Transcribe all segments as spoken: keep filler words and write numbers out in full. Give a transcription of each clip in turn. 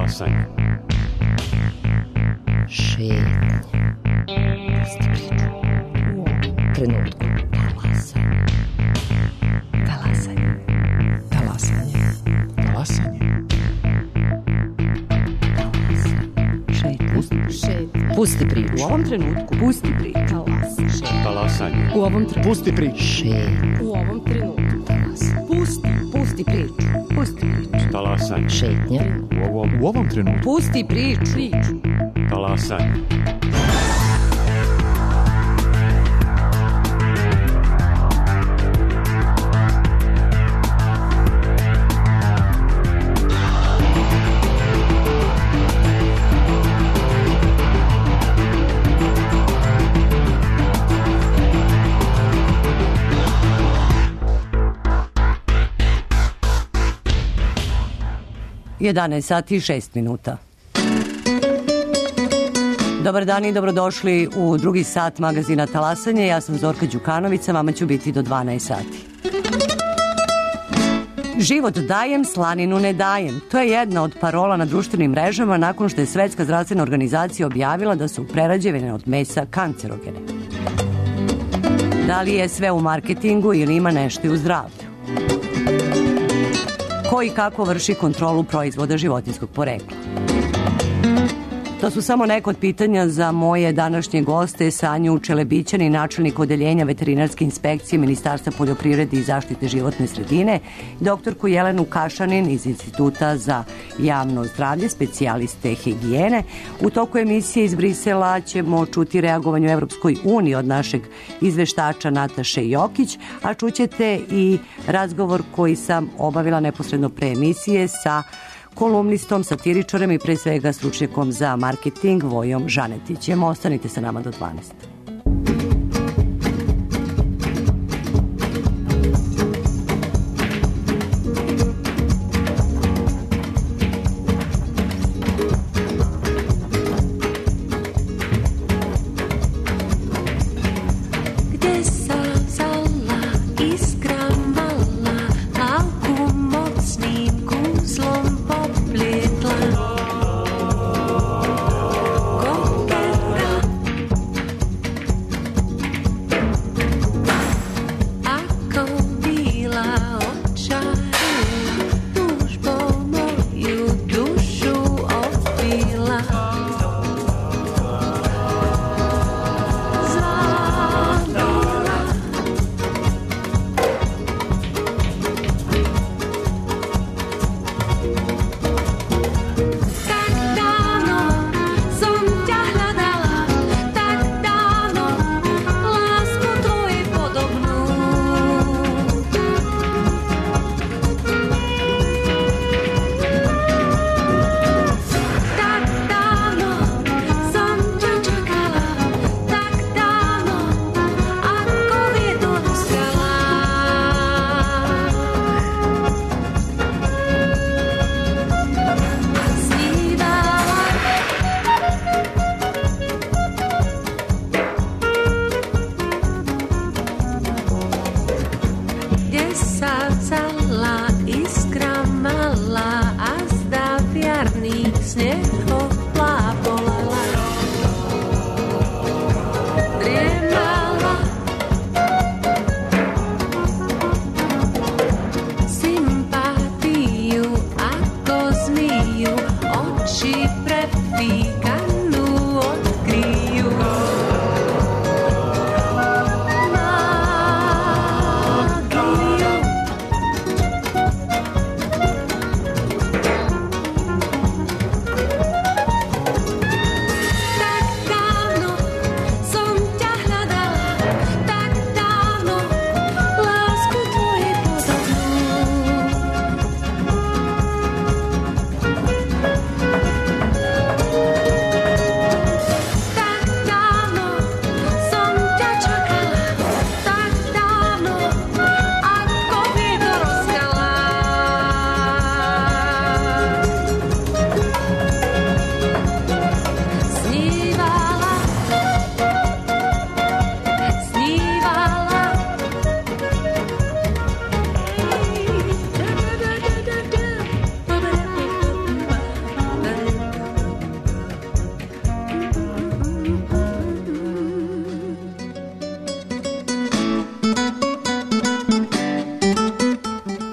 Talasanje. Šetnja. Pusti priču. U ovom trenutku. Talasanje. Talasanje. Talasanje. Talasanje. Šetnja. Pusti priču. U ovom trenutku. Pusti priču. Talasanje. U ovom trenutku. Pusti priču. Šetnja. U ovom trenutku. Talasanje. Pusti. Pusti priču. Pusti priču. Talasanje. Šetnja. U ovom. U ovom trenutku. Pusti priču. Priču. Talasanje. jedanaest sati i šest minuta. Dobar dan i dobrodošli u drugi sat magazina Talasanje. Ja sam Zorka Đukanović, sa vama ću biti do dvanaest sati. Život dajem, slaninu ne dajem. To je jedna od parola na društvenim mrežama nakon što je Svetska zdravstvena organizacija objavila da su prerađevine od mesa kancerogene. Da li je sve u marketingu ili ima nešto i u zdravlju? Ko i kako vrši kontrolu proizvoda životinjskog porekla? To su samo neka od pitanja za moje današnje goste, Sanju Čelebićani, načelnik odeljenja veterinarske inspekcije Ministarstva poljoprivrede i zaštite životne sredine, doktorku Jelenu Kašanin iz Instituta za javno zdravlje, specijaliste higijene. U toku emisije iz Brisela ćemo čuti reagovanje u Evropskoj uniji od našeg izveštača Nataše Jokić, a čućete i razgovor koji sam obavila neposredno pre emisije sa kolumnistom, satiričarem i pre svega stručnjakom za marketing Vojom Žanetićem. Ostanite sa nama do dvanaest.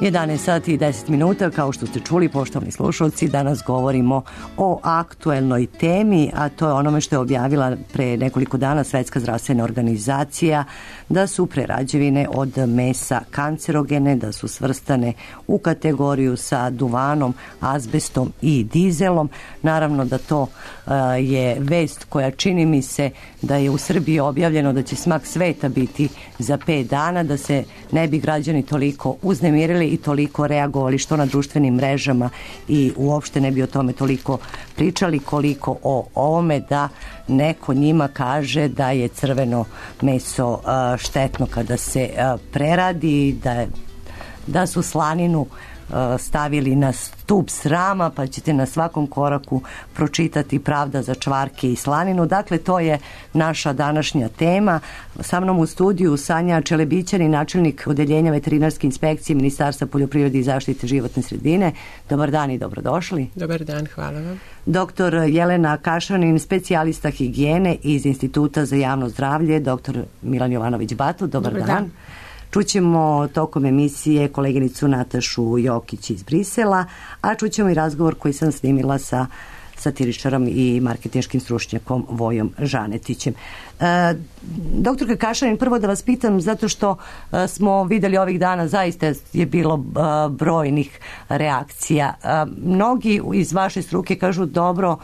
jedanaest sati i deset minuta, kao što ste čuli, poštovani slušalci, danas govorimo o aktuelnoj temi, a to je onome što je objavila pre nekoliko dana Svetska zdravstvena organizacija, da su prerađevine od mesa kancerogene, da su svrstane u kategoriju sa duvanom, azbestom i dizelom. Naravno da to uh, je vest koja čini mi se da je u Srbiji objavljeno da će smak sveta biti za pet dana, da se ne bi građani toliko uznemirili i toliko reagovali što na društvenim mrežama i uopšte ne bi o tome toliko pričali koliko o ovome da neko njima kaže da je crveno meso uh, štetno kada se uh, preradi, da, da su slaninu uh, stavili na stup srama, pa ćete na svakom koraku pročitati pravda za čvarke i slaninu. Dakle, to je naša današnja tema. Sa mnom u studiju Sanja Čelebićanin, načelnik odeljenja veterinarske inspekcije Ministarstva poljoprivrede i zaštite životne sredine. Dobar dan i dobrodošli. Dobar dan, hvala vam. Doktor Jelena Kašanin, specijalista higijene iz Instituta za javno zdravlje. Doktor Milan Jovanović-Batut, dobar, dobar dan. dan. Čućemo tokom emisije koleginicu Natašu Jokić iz Brisela, a čućemo i razgovor koji sam snimila sa satiričarom i marketinškim stručnjakom Vojom Žanetićem. E, doktorka Kašanin, prvo da vas pitam, zato što e, smo videli ovih dana, zaista je bilo e, brojnih reakcija. E, mnogi iz vaše struke kažu, dobro,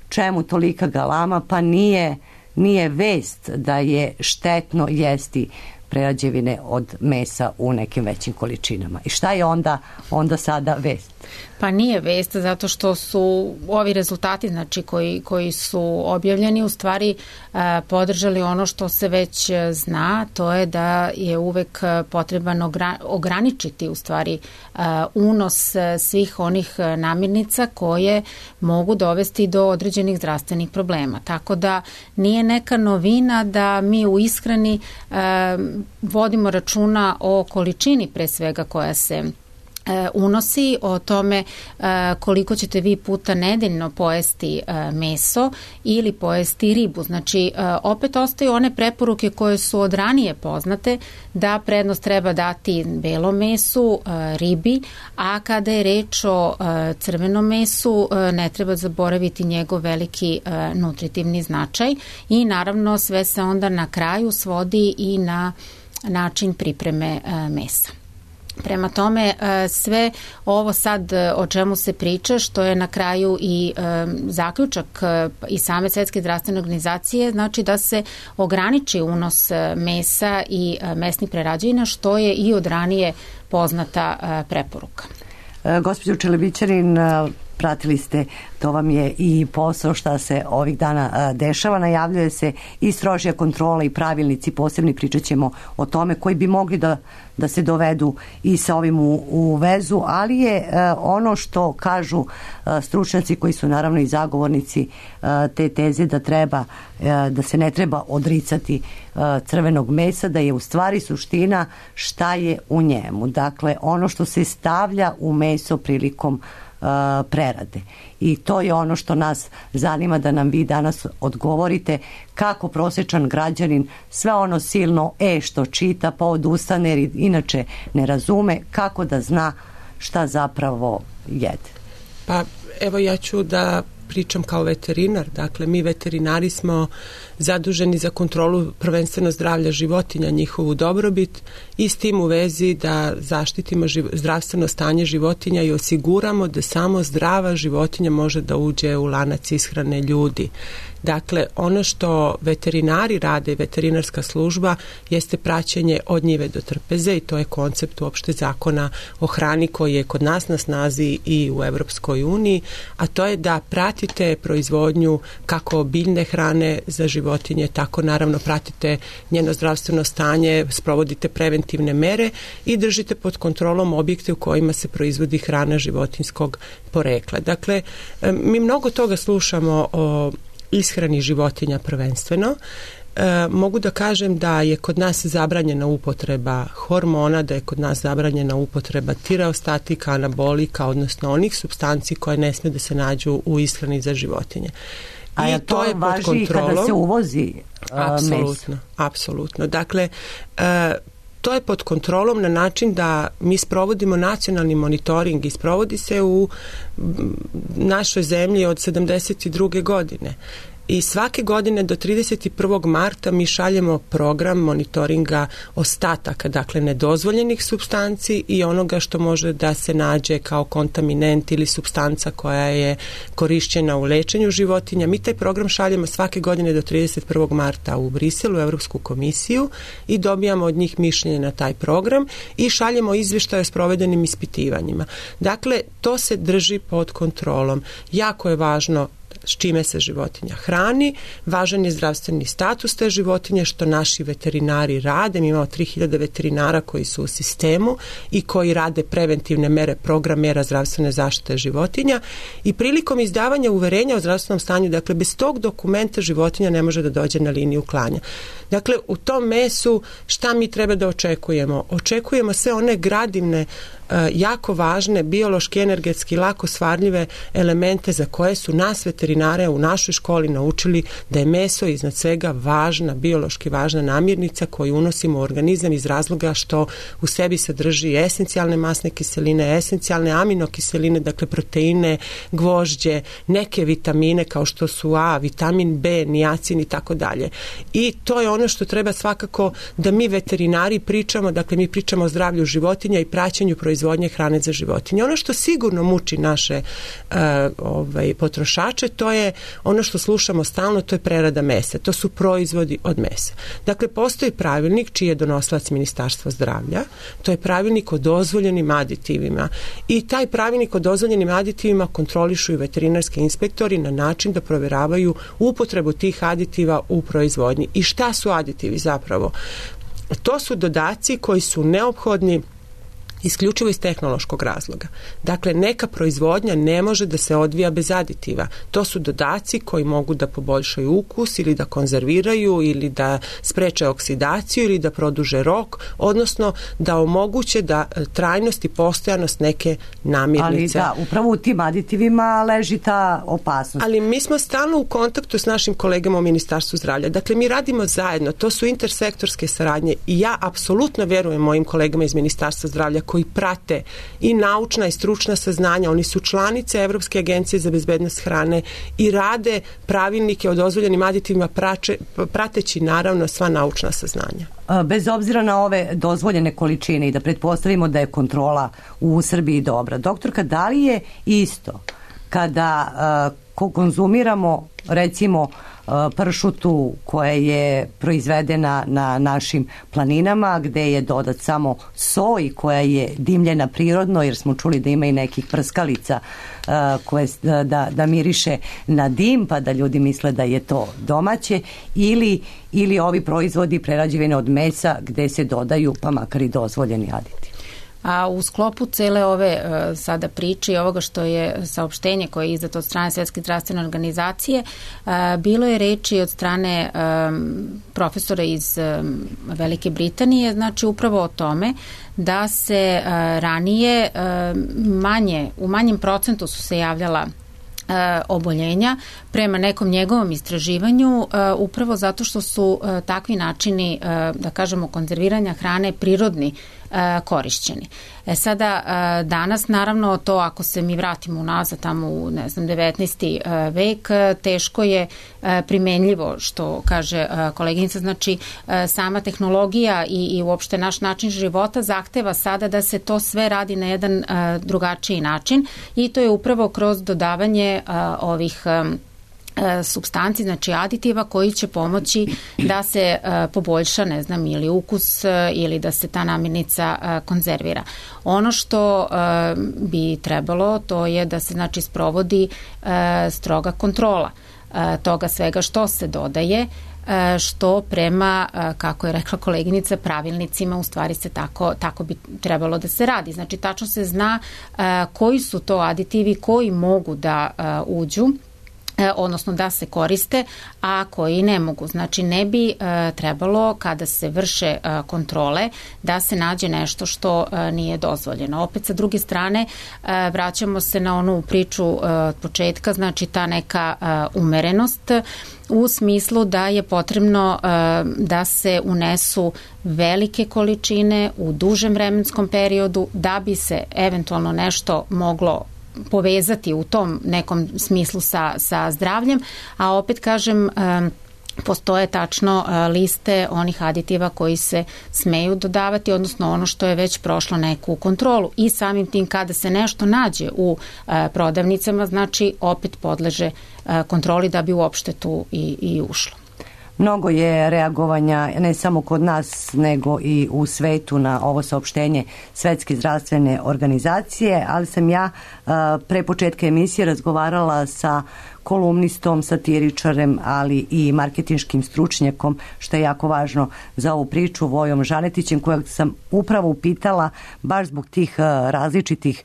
čemu tolika galama, pa nije, nije vest da je štetno jesti prerađevine od mesa u nekim većim količinama. I šta je onda, onda sada vest? Pa nije vest, zato što su ovi rezultati, znači koji, koji su objavljeni, u stvari e, podržali ono što se već zna, to je da je uvek potreban ogra, ograničiti u stvari e, unos svih onih namirnica koje mogu dovesti do određenih zdravstvenih problema. Tako da nije neka novina da mi u ishrani e, vodimo računa o količini pre svega koja se unosi, o tome koliko ćete vi puta nedeljno pojesti meso ili pojesti ribu. Znači, opet ostaju one preporuke koje su od ranije poznate, da prednost treba dati belom mesu, ribi, a kada je reč o crvenom mesu, ne treba zaboraviti njegov veliki nutritivni značaj i naravno sve se onda na kraju svodi i na način pripreme mesa. Prema tome, sve ovo sad o čemu se priča, što je na kraju i zaključak i same Svetske zdravstvene organizacije, znači da se ograniči unos mesa i mesnih prerađevina, što je i od ranije poznata preporuka. Gospođo Čelebićanin, pratili ste, to vam je i posao šta se ovih dana dešava, najavljuje se i strožija kontrola i pravilnici, posebni pričat ćemo o tome koji bi mogli da, da se dovedu i sa ovim u, u vezu, ali je ono što kažu stručnjaci koji su naravno i zagovornici te teze da treba, da se ne treba odricati crvenog mesa, da je u stvari suština šta je u njemu. Dakle, ono što se stavlja u meso prilikom prerade. I to je ono što nas zanima, da nam vi danas odgovorite kako prosječan građanin sve ono silno e što čita pa odustane jer inače ne razume, kako da zna šta zapravo jede. Pa evo ja ću da pričam kao veterinar. Dakle, mi veterinari smo zaduženi za kontrolu prvenstveno zdravlja životinja, njihovu dobrobit i s tim u vezi da zaštitimo živ, zdravstveno stanje životinja i osiguramo da samo zdrava životinja može da uđe u lanac ishrane ljudi. Dakle, ono što veterinari rade, veterinarska služba, jeste praćenje od njive do trpeze i to je koncept uopšte zakona o hrani koji je kod nas na snazi i u Evropskoj uniji, a to je da pratite proizvodnju kako biljne hrane za životinje, tako naravno pratite njeno zdravstveno stanje, sprovodite preventivne mere i držite pod kontrolom objekte u kojima se proizvodi hrana životinjskog porekla. Dakle, mi mnogo toga slušamo o ishrani životinja prvenstveno. E, mogu da kažem da je kod nas zabranjena upotreba hormona, da je kod nas zabranjena upotreba tireostatika, anabolika, odnosno onih supstanci koje ne smiju da se nađu u ishrani za životinje. A I to, to je važi kada se uvozi uh, apsolutno, meso? Apsolutno. Dakle, uh, To je pod kontrolom na način da mi sprovodimo nacionalni monitoring i sprovodi se u našoj zemlji od sedamdeset druge godine. I svake godine do trideset prvog marta mi šaljemo program monitoringa ostataka, dakle nedozvoljenih supstanci i onoga što može da se nađe kao kontaminent ili supstanca koja je korišćena u lečenju životinja. Mi taj program šaljemo svake godine do trideset prvog marta u Briselu, u Evropsku komisiju, i dobijamo od njih mišljenje na taj program i šaljemo izvještaje o sprovedenim ispitivanjima. Dakle, to se drži pod kontrolom. Jako je važno s čime se životinja hrani, važan je zdravstveni status te životinje, što naši veterinari rade. Mi imamo tri hiljade veterinara koji su u sistemu i koji rade preventivne mere, program mera zdravstvene zaštite životinja, i prilikom izdavanja uverenja o zdravstvenom stanju, dakle bez tog dokumenta životinja ne može da dođe na liniju klanja. Dakle, u tom mesu šta mi treba da očekujemo? Očekujemo sve one gradivne, jako važne, biološki, energetski, lako svarljive elemente za koje su nas veterinare u našoj školi naučili da je meso iznad svega važna, biološki važna namirnica koju unosimo u organizam iz razloga što u sebi sadrži esencijalne masne kiseline, esencijalne aminokiseline, dakle proteine, gvožđe, neke vitamine kao što su A, vitamin B, niacin i tako dalje. I to je ono što treba svakako da mi veterinari pričamo, dakle mi pričamo o zdravlju životinja i praćenju proizvodnje hrane za životinje. Ono što sigurno muči naše uh, ovaj, potrošače, to je ono što slušamo stalno, to je prerada mesa. To su proizvodi od mesa. Dakle, postoji pravilnik čiji je donosilac Ministarstva zdravlja, to je pravilnik o dozvoljenim aditivima, i taj pravilnik o dozvoljenim aditivima kontrolišu i veterinarski inspektori na način da provjeravaju upotrebu tih aditiva u proizvodnji. I šta su aditivi zapravo? To su dodaci koji su neophodni isključivo iz tehnološkog razloga. Dakle, neka proizvodnja ne može da se odvija bez aditiva. To su dodaci koji mogu da poboljšaju ukus ili da konzerviraju ili da spreče oksidaciju ili da produže rok, odnosno da omoguće da trajnost i postojanost neke namirnice. Ali da, upravo u tim aditivima leži ta opasnost. Ali mi smo stalno u kontaktu s našim kolegama u Ministarstvu zdravlja. Dakle, mi radimo zajedno. To su intersektorske saradnje i ja apsolutno verujem mojim kolegama iz Ministarstva zdravlja koji prate i naučna i stručna saznanja. Oni su članice Evropske agencije za bezbednost hrane i rade pravilnike o dozvoljenim aditivima prače, prateći naravno sva naučna saznanja. Bez obzira na ove dozvoljene količine i da pretpostavimo da je kontrola u Srbiji dobra. Doktorka, da li je isto kada uh, konzumiramo recimo pršutu koja je proizvedena na našim planinama gde je dodat samo so i koja je dimljena prirodno, jer smo čuli da ima i nekih prskalica uh, koje da, da miriše na dim pa da ljudi misle da je to domaće, ili, ili ovi proizvodi prerađevine od mesa gde se dodaju pa makar i dozvoljeni aditivi. A u sklopu cele ove uh, sada priče i ovoga što je saopštenje koje je izdato od strane Svetske zdravstvene organizacije, uh, bilo je reči od strane um, profesora iz um, Velike Britanije, znači upravo o tome da se uh, ranije uh, manje, u manjem procentu su se javljala uh, oboljenja prema nekom njegovom istraživanju, uh, upravo zato što su uh, takvi načini, uh, da kažemo, konzerviranja hrane prirodni korišćeni. E sada, danas naravno to, ako se mi vratimo unazad tamo u, ne znam, devetnaesti vek, teško je primenljivo, što kaže koleginica, znači sama tehnologija i, i uopšte naš način života zahteva sada da se to sve radi na jedan drugačiji način, i to je upravo kroz dodavanje ovih supstanci, znači aditiva koji će pomoći da se uh, poboljša, ne znam, ili ukus uh, ili da se ta namirnica uh, konzervira. Ono što uh, bi trebalo, to je da se, znači, sprovodi uh, stroga kontrola uh, toga svega što se dodaje, uh, što prema, uh, kako je rekla koleginica, pravilnicima u stvari se tako, tako bi trebalo da se radi. Znači, tačno se zna uh, koji su to aditivi koji mogu da uh, uđu odnosno da se koriste, a koji ne mogu. Znači ne bi e, trebalo kada se vrše e, kontrole da se nađe nešto što e, nije dozvoljeno. Opet sa druge strane e, vraćamo se na onu priču e, od početka, znači ta neka e, umerenost u smislu da je potrebno e, da se unesu velike količine u dužem vremenskom periodu da bi se eventualno nešto moglo povezati u tom nekom smislu sa, sa zdravljem, a opet kažem postoje tačno liste onih aditiva koji se smeju dodavati, odnosno ono što je već prošlo neku kontrolu i samim tim kada se nešto nađe u prodavnicama, znači opet podleže kontroli da bi uopšte tu i, i ušlo. Mnogo je reagovanja ne samo kod nas nego i u svetu na ovo saopštenje Svetske zdravstvene organizacije, ali sam ja pre početka emisije razgovarala sa kolumnistom, satiričarem, ali i marketinškim stručnjakom, što je jako važno za ovu priču, Vojom Žanetićem, kojeg sam upravo upitala baš zbog tih različitih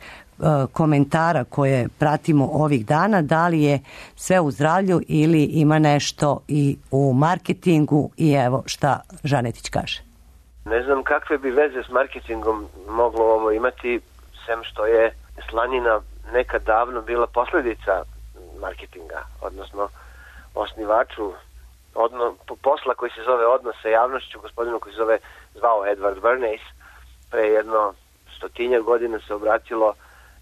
komentara koje pratimo ovih dana, da li je sve u zdravlju ili ima nešto i u marketingu, i evo šta Žanetić kaže. Ne znam kakve bi veze s marketingom moglo ovo imati, sem što je slanina nekad davno bila posljedica marketinga, odnosno osnivaču odno, posla koji se zove odnos sa javnošću, gospodinu koji se zove zvao Edward Bernays, pre jedno stotinjak godina se obratilo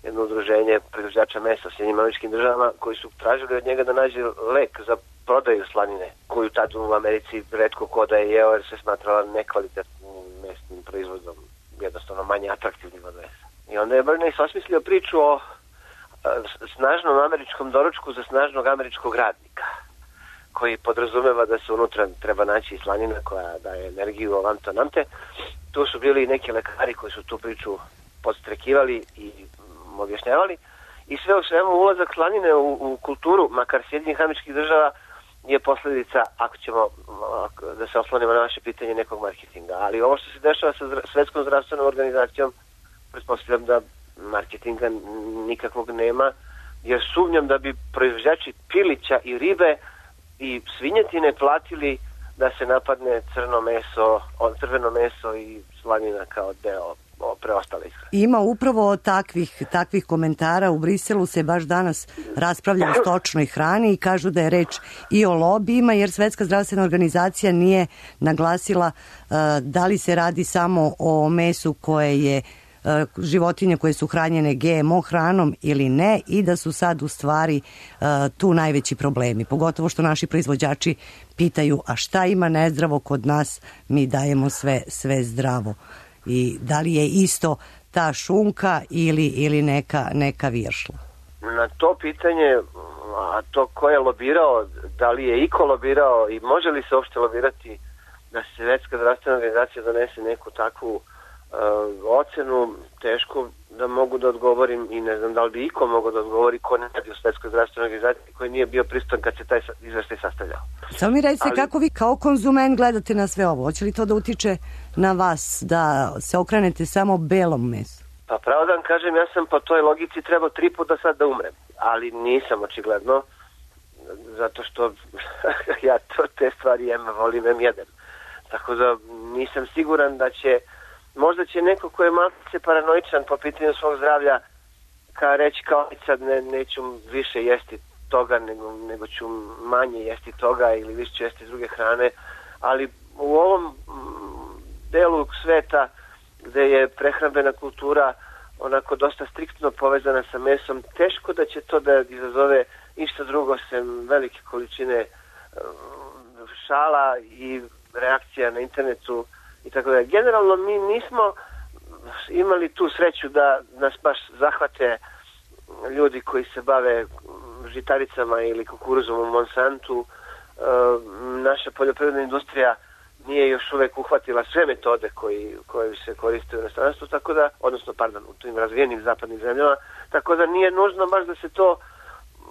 jedno udruženje proizvođača mesa u Sjedinjenim Američkim Državama koji su tražili od njega da nađe lek za prodaju slanine, koju tad u Americi retko ko da je jeo jer se smatrala nekvalitetnim mesnim proizvodom, jednostavno manje atraktivnim od mesa. I onda je Bernays osmislio priču o snažnom američkom doručku za snažnog američkog radnika, koji podrazumeva da se unutra treba naći slanina koja daje energiju ovam to namte. Tu su bili neki lekari koji su tu priču podstrekivali i objašnjavali i sve u svemu ulazak slanine u, u kulturu, makar Sjedinjenih Američkih Država, je posljedica, ako ćemo da se oslonimo na vaše pitanje, nekog marketinga. Ali ovo što se dešava sa Svetskom zdravstvenom organizacijom, pretpostavljam da marketinga nikakvog nema, jer sumnjam da bi proizvođači pilića i ribe i svinjetine platili da se napadne crno meso, crveno meso i slanina kao deo preostale ishrane. Ima upravo takvih, takvih komentara. U Briselu se baš danas raspravlja o stočnoj hrani i kažu da je reč i o lobijima, jer Svetska zdravstvena organizacija nije naglasila uh, da li se radi samo o mesu koje je uh, životinje koje su hranjene G M O hranom ili ne, i da su sad u stvari uh, tu najveći problemi. Pogotovo što naši proizvođači pitaju, a šta ima nezdravo kod nas, mi dajemo sve, sve zdravo. I da li je isto ta šunka ili, ili neka, neka viršla? Na to pitanje, a to ko je lobirao, da li je iko lobirao i može li se uopšte lobirati da se Svetska zdravstvena organizacija donese neku takvu uh, ocenu, teško da mogu da odgovorim i ne znam da li bi iko mogo da odgovori ko ne radi u Svetskoj zdravstvenoj organizaciji, koji nije bio prisutan kad se taj izveštaj sastavljao. Samo mi recite, Ali... kako vi kao konzument gledate na sve ovo? Hoće li to da utiče na vas da se okrenete samo belom mesu? Pa pravo da vam kažem, ja sam po toj logici trebao tri puta sad da umrem, ali nisam očigledno, zato što ja to, te stvari jem, volim, jem, jedem. Tako da nisam siguran da će, možda će neko ko je malo se paranoičan po pitanju svog zdravlja ka reći kao sad ne, neću više jesti toga, nego, nego ću manje jesti toga ili više ću jesti druge hrane, ali u ovom delu sveta gde je prehrambena kultura onako dosta striktno povezana sa mesom, teško da će to da izazove ništa drugo sem velike količine šala i reakcija na internetu i tako da. Generalno mi nismo imali tu sreću da nas baš zahvate ljudi koji se bave žitaricama ili kukuruzom u Monsantu. E, naša poljoprivredna industrija nije još uvek uhvatila sve metode koji, koje se koriste u inostranstvu, tako da, odnosno, pardon, u tim razvijenim zapadnim zemljama, tako da nije nužno baš da se to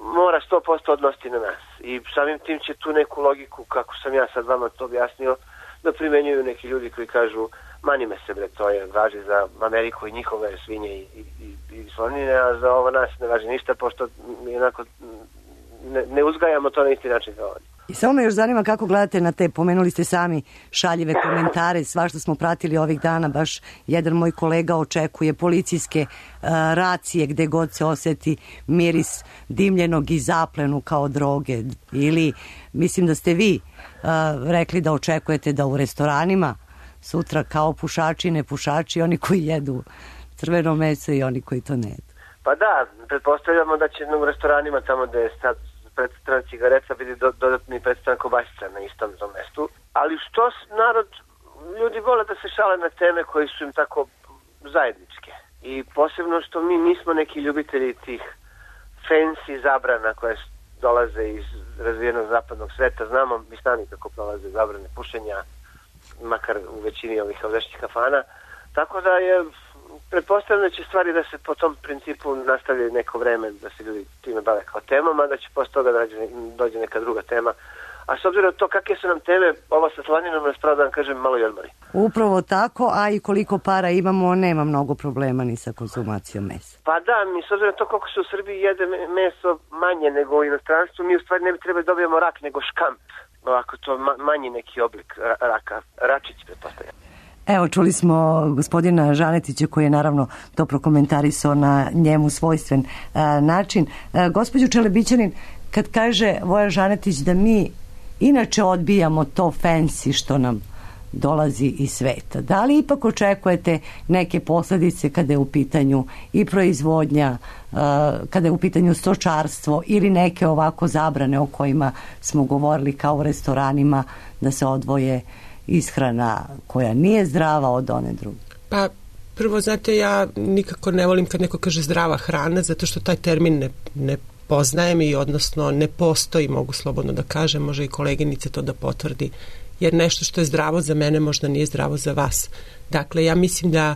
mora sto posto odnositi na nas. I samim tim će tu neku logiku, kako sam ja sad vama to objasnio, da primenjuju neki ljudi koji kažu mani me se bre, to je važi za Ameriku i njihove svinje i, i, i, i slanine, a za ovo nas ne važi ništa, pošto mi onako ne, ne uzgajamo to na isti način kao oni. I samo me još zanima kako gledate na te, pomenuli ste sami šaljive komentare, svašta smo pratili ovih dana, baš jedan moj kolega očekuje policijske uh, racije gde god se oseti miris dimljenog i zaplenu kao droge, ili mislim da ste vi uh, rekli da očekujete da u restoranima sutra kao pušači, ne pušači, oni koji jedu crveno meso i oni koji to ne jedu. Pa da, pretpostavljamo da će u restoranima tamo gde je sad predstavljena cigareta biti do, dodatni predstavljena kobasica na istom tom mestu. Ali što narod, ljudi vole da se šale na teme koji su im tako zajedničke. I posebno što mi nismo neki ljubitelji tih fancy zabrana koje dolaze iz razvijenog zapadnog sveta. Znamo mi sami kako prolaze zabrane pušenja, makar u većini ovih ovdašnjih kafana. Tako da je pretpostavljam da će stvari da se po tom principu nastavljaju neko vreme, da se ljudi time bave kao temama, da će posle toga da dođe neka druga tema. A s obzirom na to kakve su nam teme, ovo sa slaninom nas pravo da vam kažem malo i odmori. Upravo tako, a i koliko para imamo, nema mnogo problema ni sa konzumacijom mesa. Pa da, mi s obzirom na to koliko se u Srbiji jede meso manje nego u inostranstvu, mi u stvari ne bi trebali dobijemo rak nego škamp. Ovako to manji neki oblik raka, račić pretpostavljam. Evo, čuli smo gospodina Žanetića koji je naravno to prokomentarisao na njemu svojstven a, način. A, gospođo Čelebićanin, kad kaže Voja Žanetić da mi inače odbijamo to fancy što nam dolazi iz sveta, da li ipak očekujete neke posledice kada je u pitanju i proizvodnja, a, kada je u pitanju stočarstvo ili neke ovako zabrane o kojima smo govorili kao u restoranima da se odvoje ishrana koja nije zdrava od one druge? Pa prvo, znate, ja nikako ne volim kad neko kaže zdrava hrana, zato što taj termin ne, ne poznajem i odnosno ne postoji, mogu slobodno da kažem, može i koleginice to da potvrdi, jer nešto što je zdravo za mene možda nije zdravo za vas. Dakle, ja mislim da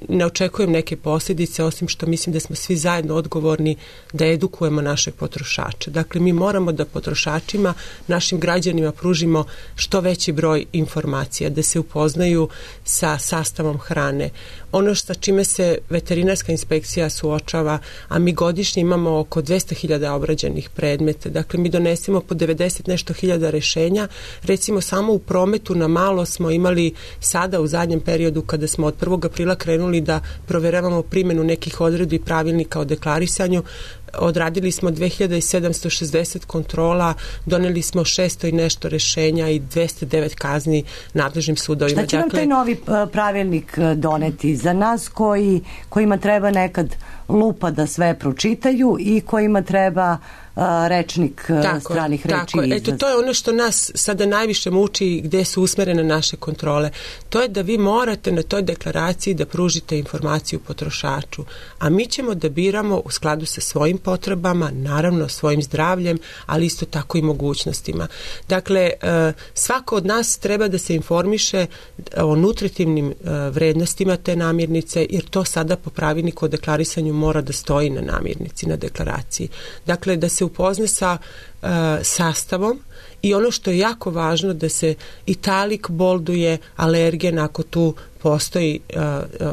ne očekujem neke posljedice, osim što mislim da smo svi zajedno odgovorni da edukujemo naše potrošače. Dakle, mi moramo da potrošačima, našim građanima pružimo što veći broj informacija, da se upoznaju sa sastavom hrane. Ono sa čime se veterinarska inspekcija suočava, a mi godišnje imamo oko dvesta hiljada obrađenih predmeta, dakle mi donesemo po devedeset nešto hiljada rešenja. Recimo samo u prometu na malo smo imali sada u zadnjem periodu kada smo od prvog aprila krenuli da proveravamo primjenu nekih odredbi pravilnika o deklarisanju, odradili smo dve hiljade sedamsto šezdeset kontrola, doneli smo šesto i nešto rešenja i dvesta devet kazni nadležnim sudovima. Šta će nam taj novi pravilnik doneti za nas koji, kojima treba nekad lupa da sve pročitaju i kojima treba a, rečnik tako, stranih reči? Tako, eto, to je ono što nas sada najviše muči i gde su usmerene naše kontrole. To je da vi morate na toj deklaraciji da pružite informaciju potrošaču, a mi ćemo da biramo u skladu sa svojim potrebama, naravno svojim zdravljem, ali isto tako i mogućnostima. Dakle, svako od nas treba da se informiše o nutritivnim vrednostima te namirnice, jer to sada po pravilniku o deklarisanju mora da stoji na namirnici, na deklaraciji. Dakle, da se upozna sa uh, sastavom i ono što je jako važno da se italik bolduje alergen ako tu postoji uh,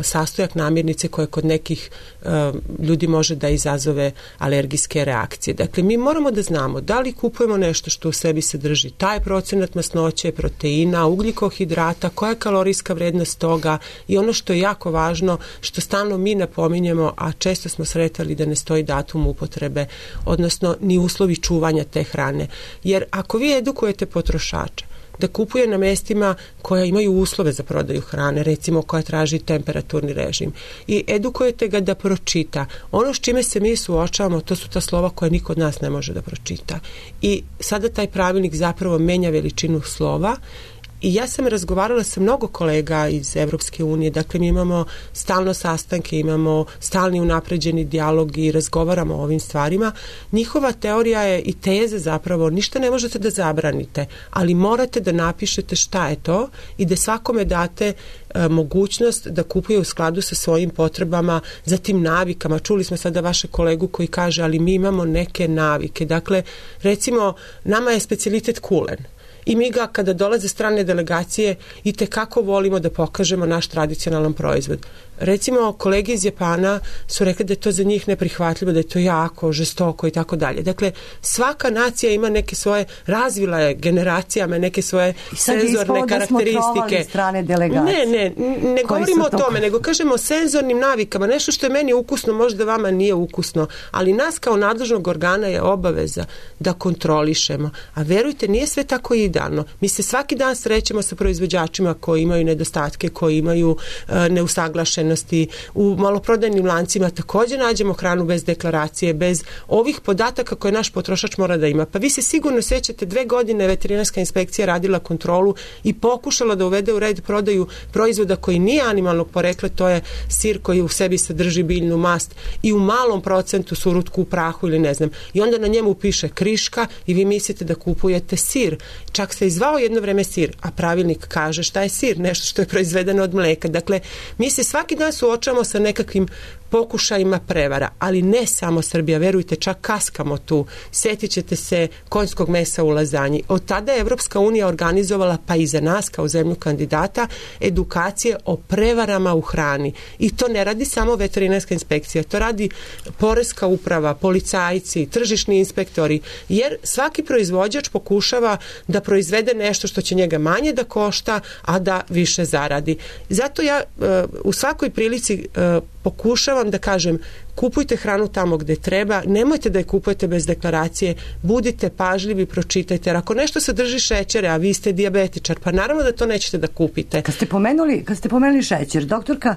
sastojak namirnice koje kod nekih uh, ljudi može da izazove alergijske reakcije. Dakle, mi moramo da znamo da li kupujemo nešto što u sebi sadrži taj procenat masnoće, proteina, ugljikohidrata, koja je kalorijska vrednost toga i ono što je jako važno, što stalno mi napominjemo, a često smo sretali da ne stoji datum upotrebe, odnosno ni uslovi čuvanja te hrane. Jer ako vi edukujete potrošača da kupuje na mestima koja imaju uslove za prodaju hrane, recimo koja traži temperaturni režim, i edukujete ga da pročita. Ono s čime se mi suočavamo, to su ta slova koja niko od nas ne može da pročita. I sada taj pravilnik zapravo menja veličinu slova. I ja sam razgovarala sa mnogo kolega iz Evropske unije, dakle mi imamo stalno sastanke, imamo stalni unapređeni dijalog i razgovaramo o ovim stvarima. Njihova teorija je i teza zapravo, ništa ne možete da zabranite, ali morate da napišete šta je to i da svakome date e, mogućnost da kupuje u skladu sa svojim potrebama, za tim navikama. Čuli smo sada vaše kolegu koji kaže, ali mi imamo neke navike. Dakle, recimo, nama je specijalitet kulen. I mi ga, kada dolaze strane delegacije, i tekako volimo da pokažemo naš tradicionalan proizvod. recimo kolege iz Japana su rekli da je to za njih neprihvatljivo, da je to jako žestoko i tako dalje. Dakle, svaka nacija ima neke svoje, razvila je generacijama neke svoje senzorne karakteristike. Strane delegacije. Ne, ne, ne govorimo o tome, nego kažemo o senzornim navikama. Nešto što je meni ukusno, možda vama nije ukusno, ali nas kao nadležnog organa je obaveza da kontrolišemo. A verujte, nije sve tako idealno. Mi se svaki dan srećemo sa proizvođačima koji imaju nedostatke, koji imaju uh, neusaglašenosti. U maloprodajnim lancima također nađemo hranu bez deklaracije, bez ovih podataka koje naš potrošač mora da ima. Pa vi se sigurno sećate, dve godine veterinarska inspekcija radila kontrolu i pokušala da uvede u red prodaju proizvoda koji nije animalnog porekla, to je sir koji u sebi sadrži biljnu mast i u malom procentu surutku u prahu ili ne znam. I onda na njemu piše kriška i vi mislite da kupujete sir. Čak se izvao jedno vreme sir, a pravilnik kaže šta je sir, nešto što je proizvedeno od mleka. Dakle, mi se svaki dan suočavamo sa nekakvim pokušajima prevara, ali ne samo Srbija, verujte, čak kaskamo tu. Setit ćete se konjskog mesa u lazanji. Od tada je Evropska unija organizovala, pa i za nas kao zemlju kandidata, edukacije o prevarama u hrani. I to ne radi samo veterinarska inspekcija, to radi poreska uprava, policajci, tržišni inspektori, jer svaki proizvođač pokušava da proizvede nešto što će njega manje da košta, a da više zaradi. Zato ja u svakoj prilici pokušavam da kažem, kupujte hranu tamo gde treba, nemojte da je kupujete bez deklaracije, budite pažljivi, pročitajte. Jer ako nešto sadrži šećere, a vi ste dijabetičar, pa naravno da to nećete da kupite. Kad ste pomenuli, kad ste pomenuli šećer, doktorka,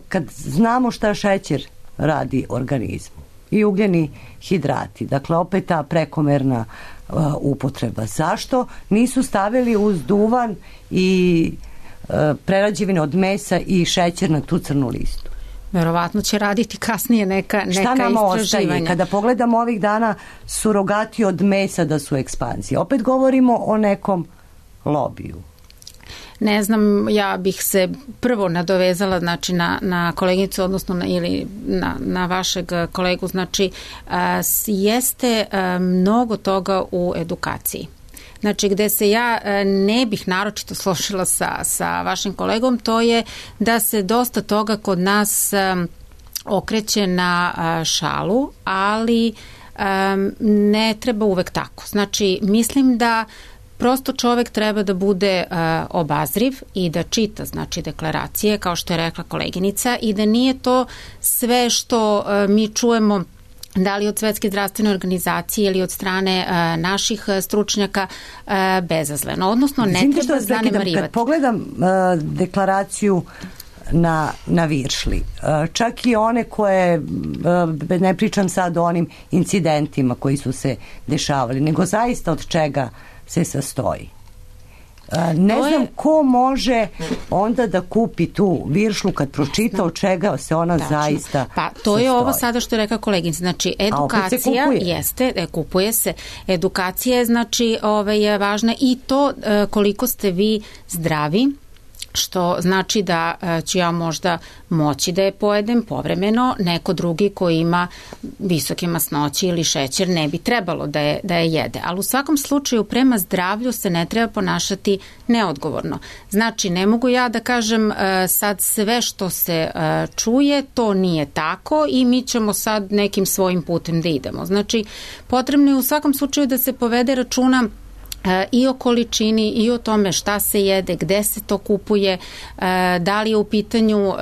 kad znamo šta šećer radi organizmu i ugljeni hidrati, dakle opet ta prekomerna upotreba, zašto nisu stavili uz duvan i prerađevine od mesa i šećer na tu crnu listu? Verovatno će raditi kasnije neka, neka Šta nam istraživanja. Ostaje? Kada pogledamo ovih dana surogati od mesa da su ekspanzije, opet govorimo o nekom lobiju. Ne znam, ja bih se prvo nadovezala znači, na, na koleginicu, odnosno na, ili na, na vašeg kolegu, znači a, jeste a, mnogo toga u edukaciji. Znači, gde se ja ne bih naročito složila sa, sa vašim kolegom, to je da se dosta toga kod nas um, okreće na uh, šalu, ali um, ne treba uvek tako. Znači, mislim da prosto čovek treba da bude uh, obazriv i da čita, znači, deklaracije, kao što je rekla koleginica, i da nije to sve što uh, mi čujemo da li od Svetske zdravstvene organizacije ili od strane uh, naših stručnjaka uh, bezazleno. Odnosno, ne Zim, treba zanemarivati. Kad pogledam uh, deklaraciju na, na Viršli, uh, čak i one koje, uh, ne pričam sad o onim incidentima koji su se dešavali, nego zaista od čega se sastoji. Ne to znam je... ko može onda da kupi tu viršlu kad pročita od čega se ona Tačno. zaista Pa to je ovo sada što je rekla koleginica. Znači, edukacija jeste, kupuje se. Edukacija je, znači, ove, je važna i to koliko ste vi zdravi, što znači da ću ja možda moći da je pojedem povremeno, neko drugi koji ima visoke masnoće ili šećer ne bi trebalo da je, da je jede. Ali u svakom slučaju prema zdravlju se ne treba ponašati neodgovorno. Znači, ne mogu ja da kažem sad sve što se čuje, to nije tako i mi ćemo sad nekim svojim putem da idemo. Znači, potrebno je u svakom slučaju da se povede računa i o količini i o tome šta se jede, gde se to kupuje, da li je u pitanju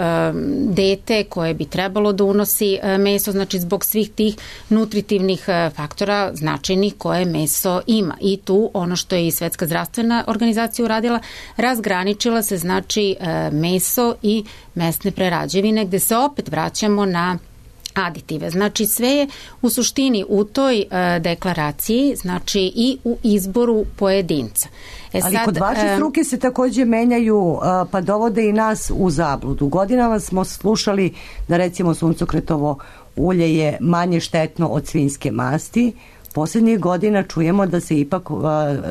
dete koje bi trebalo da unosi meso, znači zbog svih tih nutritivnih faktora značajnih koje meso ima. I tu ono što je i Svetska zdravstvena organizacija uradila, razgraničila se znači meso i mesne prerađevine, gde se opet vraćamo na aditive. Znači, sve je u suštini u toj uh, deklaraciji, znači i u izboru pojedinca. E Ali sad, kod vaše struke se takođe menjaju, uh, pa dovode i nas u zabludu. Godinama smo slušali da recimo suncokretovo ulje je manje štetno od svinjske masti. Poslednjih godina čujemo da se ipak uh,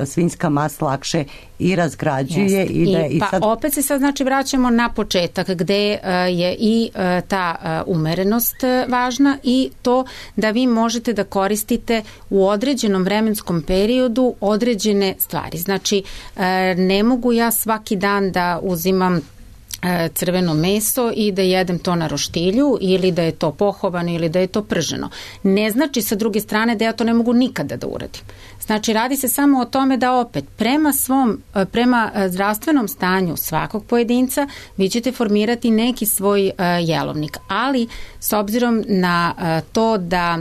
svinjska mast lakše i razgrađuje. Jest. I, da, I, i pa sad... opet se sad znači vraćamo na početak gde uh, je i uh, ta uh, umerenost uh, važna i to da vi možete da koristite u određenom vremenskom periodu određene stvari. Znači, uh, ne mogu ja svaki dan da uzimam crveno meso i da jedem to na roštilju ili da je to pohovano ili da je to prženo. Ne znači sa druge strane da ja to ne mogu nikada da uradim. Znači radi se samo o tome da opet prema svom, prema zdravstvenom stanju svakog pojedinca vi ćete formirati neki svoj jelovnik, ali s obzirom na to da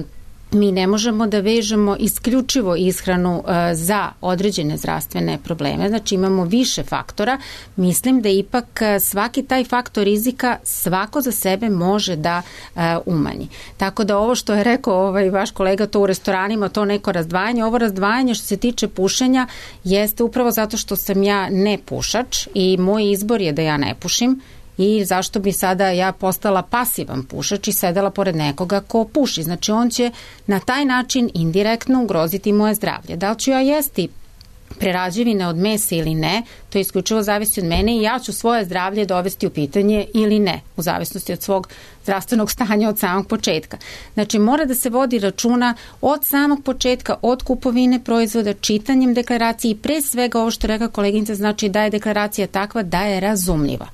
mi ne možemo da vežemo isključivo ishranu za određene zdravstvene probleme, znači imamo više faktora, mislim da ipak svaki taj faktor rizika svako za sebe može da umanji. Tako da ovo što je rekao ovaj vaš kolega, to u restoranima, to neko razdvajanje, ovo razdvajanje što se tiče pušenja jeste upravo zato što sam ja ne pušač i moj izbor je da ja ne pušim. I zašto bi sada ja postala pasivan pušač i sedela pored nekoga ko puši. Znači on će na taj način indirektno ugroziti moje zdravlje. Da li ću ja jesti prerađevine od mesa ili ne, to isključivo zavisi od mene i ja ću svoje zdravlje dovesti u pitanje ili ne, u zavisnosti od svog zdravstvenog stanja od samog početka. Znači mora da se vodi računa od samog početka, od kupovine proizvoda, čitanjem deklaracije i pre svega ovo što reka koleginica, znači da je deklaracija takva da je razumljiva.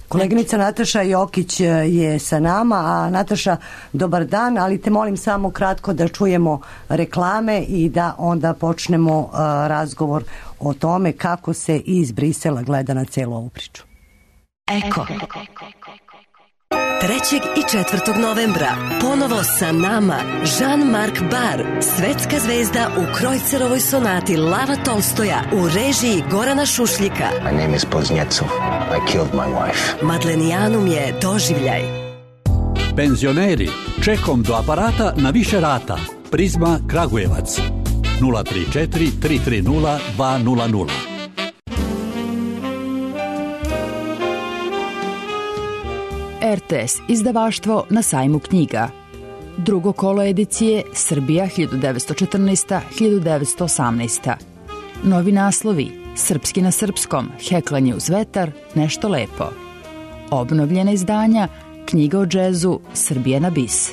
Koleginica Nataša Jokić je sa nama, a Nataša, dobar dan, ali te molim samo kratko da čujemo reklame i da onda počnemo uh, razgovor o tome kako se iz Brisela gleda na celu ovu priču. Eko. trećeg i četvrtog novembra ponovo sa nama Jean-Marc Barr, svetska zvezda u Krojcerovoj sonati Lava Tolstoja u režiji Gorana Šušljika. My name is Poznjecov. I killed my wife. Madlenijanum je doživljaj. Penzioneri, čekom do aparata na više rata. Prizma Kragujevac. nula tri četiri tri tri nula dva nula nula. R T S izdavaštvo na sajmu knjiga. Drugo kolo edicije Srbija hiljadu devetsto četrnaesta do hiljadu devetsto osamnaesta. Novi naslovi Srpski na srpskom, Heklanje uz vetar, Nešto lepo. Obnovljena izdanja Knjiga o džezu, Srbija na bis.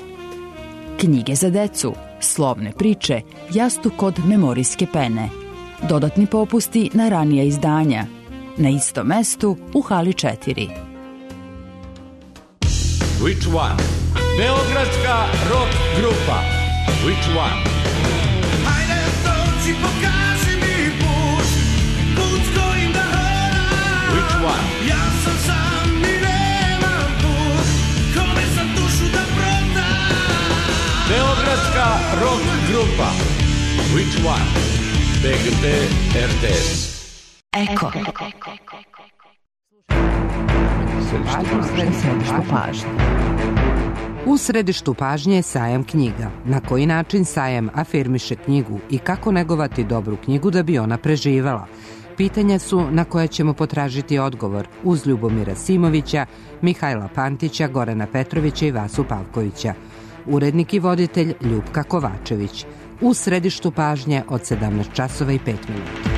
Knjige za decu, Slovne priče, Jastuk kod memorijske pene. Dodatni popusti na ranija izdanja. Na istom mestu u hali četiri. Which one? Beogradska rock grupa. Which one? Hajde dođi, pokaži mi put, put s kojim da hodam. Which one? Ja sam sam i nemam put, kome sam dušu da prodam. Beogradska rock grupa. Which one? B G P R T S. Eko. Središtu pažnje. U središtu pažnje je sajam knjiga. Na koji način sajam afirmiše knjigu i kako negovati dobru knjigu da bi ona preživala? Pitanja su na koje ćemo potražiti odgovor uz Ljubomira Simovića, Mihajla Pantića, Gorana Petrovića i Vasu Pavkovića. Urednik i voditelj Ljupka Kovačević. U središtu pažnje od sedamnaest časova i pet minuta.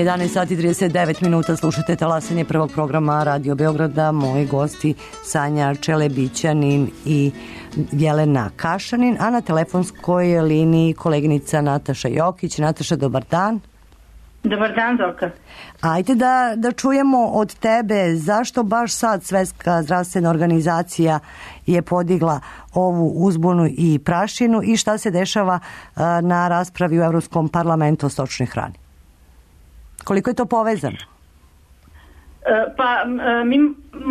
jedanaest sati i trideset devet minuta, slušate talasanje prvog programa Radio Beograda. Moji gosti Sanja Čelebićanin i Jelena Kašanin, a na telefonskoj liniji koleginica Nataša Jokić. Nataša, dobar dan. Dobar dan, Zorka. Ajde da, da čujemo od tebe zašto baš sad Svetska zdravstvena organizacija je podigla ovu uzbunu i prašinu i šta se dešava na raspravi u Evropskom parlamentu o stočnoj hrani. Koliko je to povezano? Pa mi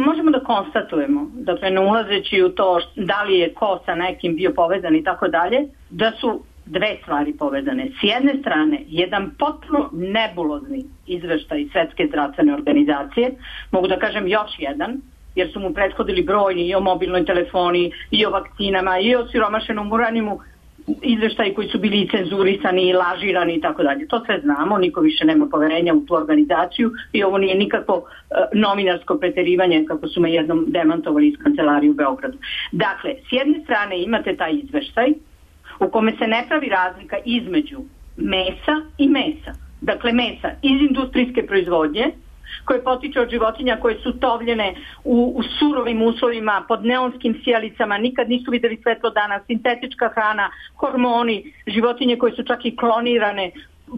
možemo da konstatujemo, dakle ne ulazeći u to da li je ko sa nekim bio povezan i tako dalje, da su dve stvari povezane. S jedne strane, jedan potpuno nebulozni izveštaj Svetske zdravstvene organizacije, mogu da kažem još jedan, jer su mu prethodili brojni i o mobilnoj telefoniji, i o vakcinama, i o siromašenom uranijumu, izveštaji koji su bili cenzurisani i lažirani i tako dalje. To sve znamo, niko više nema poverenja u tu organizaciju i ovo nije nikako uh, novinarsko preterivanje kako su me jednom demantovali iz kancelarije u Beogradu. Dakle, s jedne strane imate taj izveštaj u kome se ne pravi razlika između mesa i mesa. Dakle, mesa iz industrijske proizvodnje koje potiče od životinja koje su tovljene u, u surovim uslovima, pod neonskim sijalicama, nikad nisu videli svetlo dana, sintetička hrana, hormoni, životinje koje su čak i klonirane,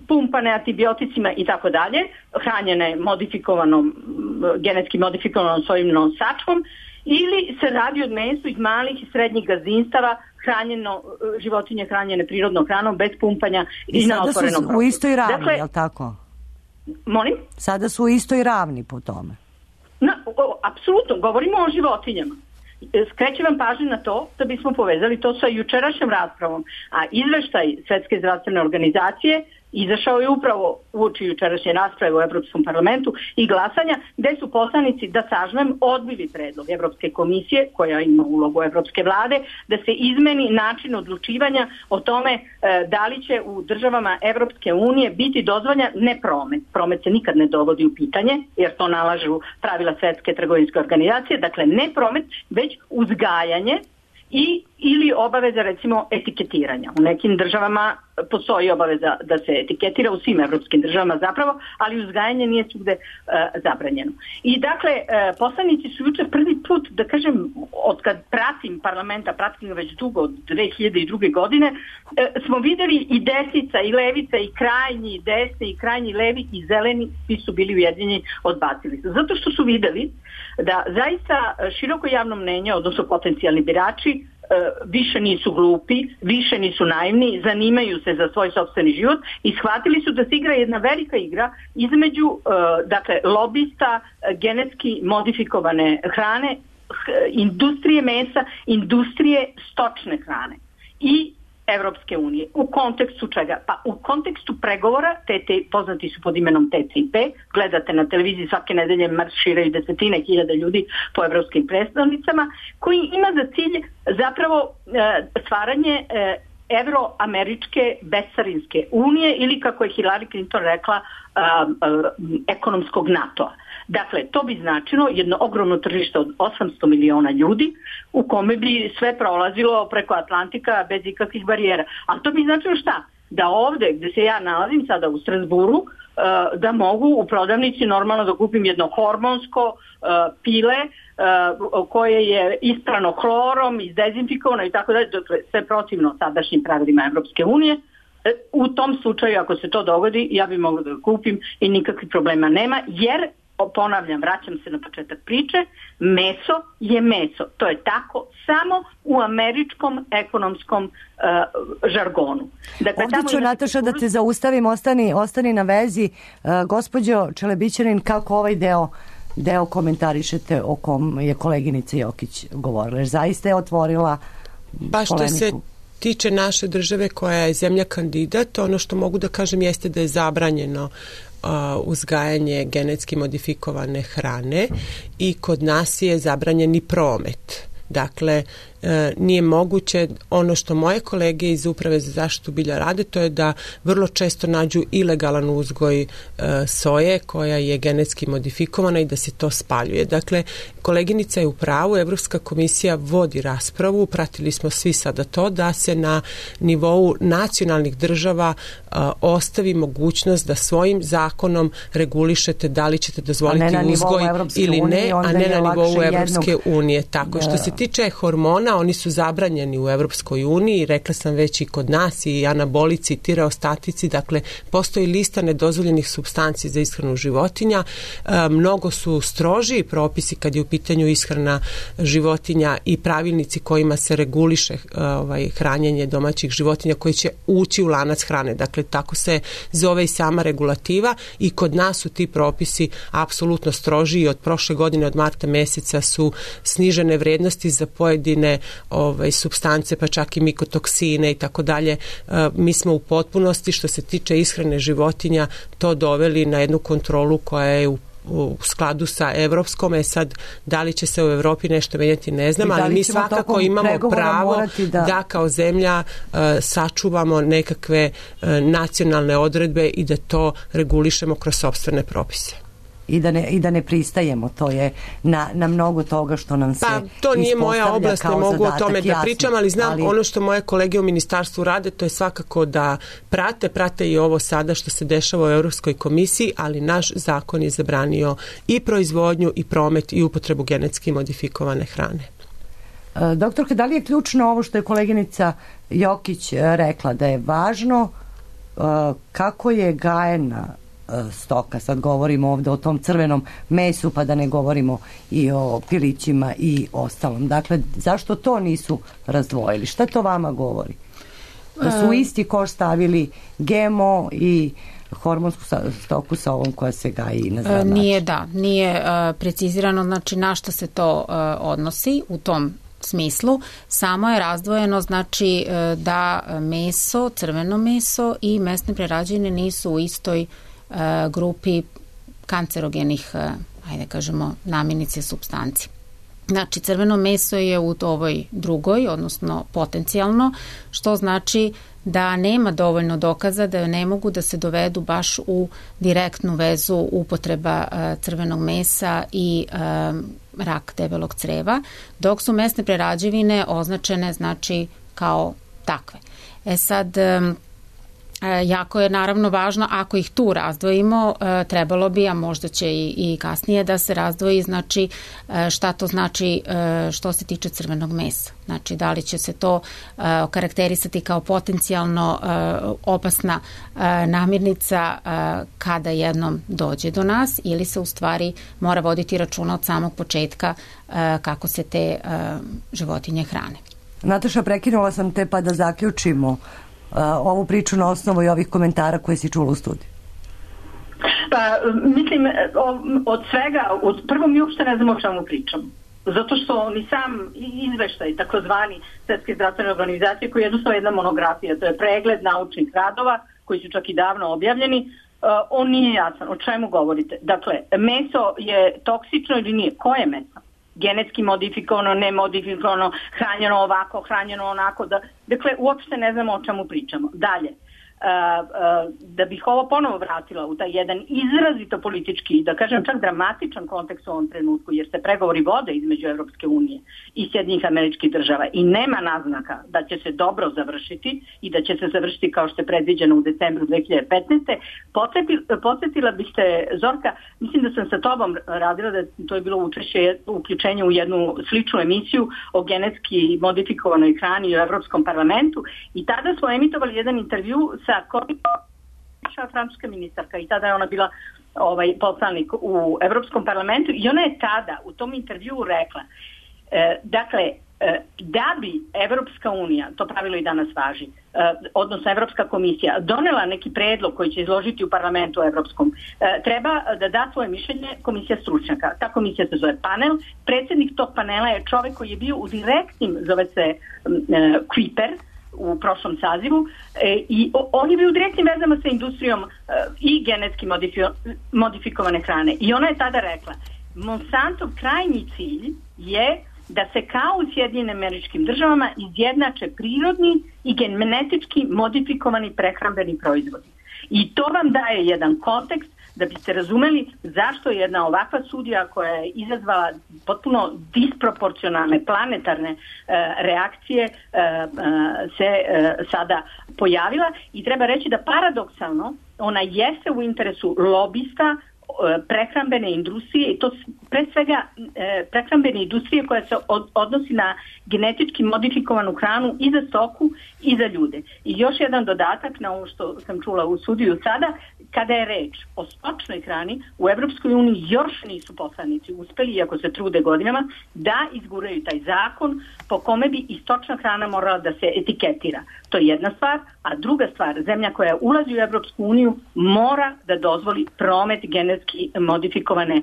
pumpane antibioticima i tako dalje, hranjene modifikovanom, genetski modifikovanom sojim sačmom, ili se radi od mesu iz malih i srednjih gazdinstava, hranjeno, životinje hranjene prirodnom hranom, bez pumpanja i, i na otvorenom prostoru. Sada su u istoj ravni, dakle, je li tako? Molim? Sada su u istoj ravni po tome. Na, o, apsolutno, govorimo o životinjama. Skrećem vam pažnju na to da bismo povezali to sa jučerašnjom raspravom, a izveštaj Svetske zdravstvene organizacije izašao je upravo uoči jučerašnje rasprave u Evropskom parlamentu i glasanja, gde su poslanici, da sažmem, odbili predlog Evropske komisije, koja ima ulogu Evropske vlade, da se izmeni način odlučivanja o tome e, da li će u državama Evropske unije biti dozvoljen ne promet. Promet se nikad ne dovodi u pitanje, jer to nalažu pravila Svetske trgovinske organizacije, dakle ne promet, već uzgajanje i ili obaveza recimo etiketiranja. U nekim državama postoji obaveza da se etiketira, u svim evropskim državama zapravo, ali uzgajanje nije svugde e, zabranjeno. I dakle, e, poslanici su juče prvi put, da kažem, od kad pratim parlamenta, pratim već dugo, od dve hiljade druge. godine, e, smo videli i desnica i levica i krajnji desni i krajnji levi i zeleni, svi su bili ujedinjeni, odbacili su. Zato što su videli da zaista široko javno mnenje, odnosno potencijalni birači, više nisu glupi, više nisu naivni, zanimaju se za svoj sopstveni život i shvatili su da se igra jedna velika igra između dakle, lobista genetski modifikovane hrane, industrije mesa, industrije stočne hrane i Evropske unije. U kontekstu čega? Pa u kontekstu pregovora, te, te, poznati su pod imenom T T I P, gledate na televiziji svake nedelje marširaju desetine hiljada ljudi po evropskim predstavnicama, koji ima za cilj zapravo e, stvaranje e, evroameričke bescarinske unije ili, kako je Hillary Clinton rekla, a, a, ekonomskog NATO-a. Dakle, to bi značilo jedno ogromno tržište od osamsto miliona ljudi u kome bi sve prolazilo preko Atlantika bez ikakvih barijera. A to bi značilo šta? Da ovde gde se ja nalazim sada u Strasburu, da mogu u prodavnici normalno da kupim jedno hormonsko pile koje je isprano hlorom, izdezinfikovano i tako dalje, dakle sve protivno sadašnjim pravilima Evropske unije. U tom slučaju, ako se to dogodi, ja bi mogla da ga kupim i nikakvih problema nema, jer, ponavljam, vraćam se na početak priče, meso je meso. To je tako samo u američkom ekonomskom uh, žargonu. Dakle, ovdje ću, Nataša, da te zaustavim, ostani, ostani na vezi. Uh, gospođo Čelebićanin, kako ovaj deo deo komentarišete o kom je koleginica Jokić govorila? Jer zaista je otvorila pa što polemiku. Se tiče naše države koja je zemlja kandidat, ono što mogu da kažem jeste da je zabranjeno uzgajanje genetski modifikovane hrane i kod nas je zabranjeni promet. Dakle, nije moguće, ono što moje kolege iz Uprave za zaštitu bilja rade, to je da vrlo često nađu ilegalan uzgoj soje koja je genetski modifikovana i da se to spaljuje. Dakle, koleginica je u pravu, Evropska komisija vodi raspravu, pratili smo svi sada to, da se na nivou nacionalnih država ostavi mogućnost da svojim zakonom regulišete da li ćete dozvoliti uzgoj ili ne, a ne na nivou Evropske unije. Tako, što se tiče hormona, oni su zabranjeni u Evropskoj uniji, rekla sam već i kod nas, i anabolici i tireostatici, dakle postoji lista nedozvoljenih supstanci za ishranu životinja. E, mnogo su strožiji propisi kad je u pitanju ishrana životinja i pravilnici kojima se reguliše e, ovaj, hranjenje domaćih životinja koji će ući u lanac hrane. Dakle, tako se zove i sama regulativa i kod nas su ti propisi apsolutno strožiji. Od prošle godine, od marta meseca su snižene vrednosti za pojedine ovaj, supstance, pa čak i mikotoksine i tako dalje. Mi smo u potpunosti, što se tiče ishrane životinja, to doveli na jednu kontrolu koja je u u skladu sa evropskom. E sad, da li će se u Evropi nešto menjati, ne znam, ali mi svakako imamo pravo da... da kao zemlja uh, sačuvamo nekakve uh, nacionalne odredbe i da to regulišemo kroz sopstvene propise. i da ne, i da ne pristajemo. To je na, na mnogo toga što nam se pa, to nije moja oblast, ne mogu zadatak, o tome da jasno, pričam, ali znam ali... ono što moje kolege u ministarstvu rade, to je svakako da prate, prate i ovo sada što se dešava u Europskoj komisiji, ali naš zakon je zabranio i proizvodnju i promet i upotrebu genetski modifikovane hrane. Doktorka, da li je ključno ovo što je koleginica Jokić rekla, da je važno kako je gajena stoka, sad govorimo ovde o tom crvenom mesu, pa da ne govorimo i o pilićima i ostalom. Dakle, zašto to nisu razdvojili? Šta to vama govori? Da su u isti koš stavili G M O i hormonsku stoku sa ovom koja se gaji na zdrav način? Nije, da, nije uh, precizirano, znači na šta se to uh, odnosi u tom smislu, samo je razdvojeno znači da meso, crveno meso i mesne prerađevine nisu u istoj uh, grupi kancerogenih, uh, ajde kažemo, namirnice supstanci. Znači, crveno meso je u ovoj drugoj, odnosno potencijalno, što znači da nema dovoljno dokaza da ne mogu da se dovedu baš u direktnu vezu upotreba uh, crvenog mesa i um, rak debelog creva, dok su mesne prerađevine označene znači kao takve. E sad, um, jako je naravno važno, ako ih tu razdvojimo, trebalo bi, a možda će i, i kasnije da se razdvoji, znači šta to znači što se tiče crvenog mesa. Znači, da li će se to okarakterisati kao potencijalno opasna namirnica kada jednom dođe do nas, ili se u stvari mora voditi računa od samog početka kako se te životinje hrane. Nataša, prekinula sam te pa da zaključimo ovu priču na osnovu i ovih komentara koje si čula u studiju. Pa, mislim, od svega, od prvo mi uopšte ne znamo o čemu pričam. Zato što ni sam izveštaj, takozvani Svetske zdravstvene organizacije, koji je jednostavno jedna monografija, to je pregled naučnih radova, koji su čak i davno objavljeni, on nije jasan. O čemu govorite? Dakle, meso je toksično ili nije? Koje meso? Genetski modifikovano, nemodifikovano, hranjeno ovako, hranjeno onako. Da, dakle, uopšte ne znamo o čemu pričamo. Dalje, uh, uh, da bih ovo ponovo vratila u taj jedan izrazito politički, da kažem čak dramatičan kontekst u ovom trenutku, jer se pregovori vode između Evropske unije i Sjedinjenih Američkih Država i nema naznaka da će se dobro završiti i da će se završiti kao što je predviđeno u decembru dve hiljade petnaeste. Podsjetila bih te, Zorka, mislim da sam sa tobom radila, da to je bilo učešće, uključenje u jednu sličnu emisiju o genetski modifikovanoj hrani u Evropskom parlamentu, i tada smo emitovali jedan intervju sa Corinne, francuska ministarka, i tada je ona bila ovaj poslanik u Evropskom parlamentu, i ona je tada u tom intervjuu rekla, e, dakle, da bi Evropska unija, to pravilo i danas važi, odnosno Evropska komisija, donela neki predlog koji će izložiti u parlamentu evropskom, treba da da svoje mišljenje komisija stručnjaka. Ta komisija se zove panel. Predsjednik tog panela je čovek koji je bio u direktnim, zove se Kuiper, u prošlom sazivu, i on je bio u direktnim vezama sa industrijom i genetski modifikovane hrane. I ona je tada rekla, Monsantov krajnji cilj je da se kao u Sjedinjenim Američkim Državama izjednače prirodni i genetički modifikovani prehrambeni proizvodi. I to vam daje jedan kontekst da biste razumeli zašto jedna ovakva studija koja je izazvala potpuno disproporcionalne planetarne e, reakcije e, e, se e, sada pojavila, i treba reći da paradoksalno ona jeste u interesu lobista prehrambene industrije, i to pre svega e, prehrambene industrije koja se od, odnosi na genetički modifikovanu hranu i za stoku i za ljude. I još jedan dodatak na ovo što sam čula u studiju sada, kada je reč o stočnoj hrani, u Evropskoj uniji još nisu poslanici uspeli, iako se trude godinama, da izguraju taj zakon po kome bi i stočna hrana morala da se etiketira. To je jedna stvar, a druga stvar, zemlja koja ulazi u Evropsku uniju mora da dozvoli promet genetski modifikovane e,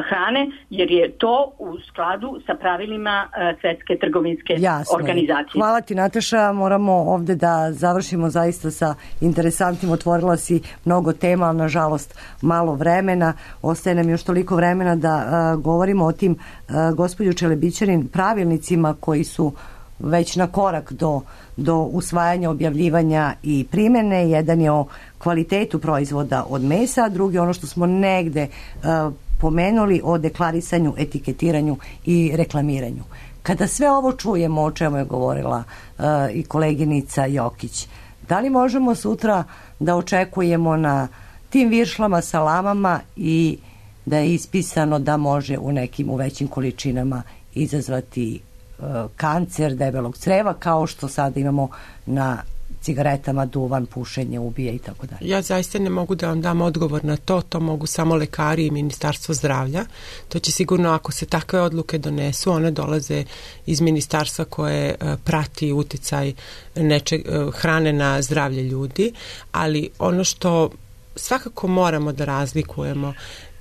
hrane, jer je to u skladu sa pravilima e, Svetske trgovinske Jasno. organizacije. Hvala ti, Nataša. Moramo ovde da završimo zaista sa interesantnim. Otvorila si mnogo tema, ali nažalost malo vremena. Ostaje nam još toliko vremena da a, govorimo o tim, a, gospođo Čelebićanin, pravilnicima koji su već na korak do, do usvajanja, objavljivanja i primene. Jedan je o kvalitetu proizvoda od mesa, a drugi ono što smo negde uh, pomenuli o deklarisanju, etiketiranju i reklamiranju. Kada sve ovo čujemo, o čemu je govorila uh, i koleginica Jokić, da li možemo sutra da očekujemo na tim viršlama, salamama i da je ispisano da može u nekim u većim količinama izazvati uh, kancer debelog creva, kao što sada imamo na cigaretama, duvan, pušenje, ubije i tako dalje? Ja zaista ne mogu da vam dam odgovor na to, to mogu samo lekari i Ministarstvo zdravlja. To će sigurno, ako se takve odluke donesu, one dolaze iz ministarstva koje uh, prati uticaj neče, uh, hrane na zdravlje ljudi, ali ono što svakako moramo da razlikujemo,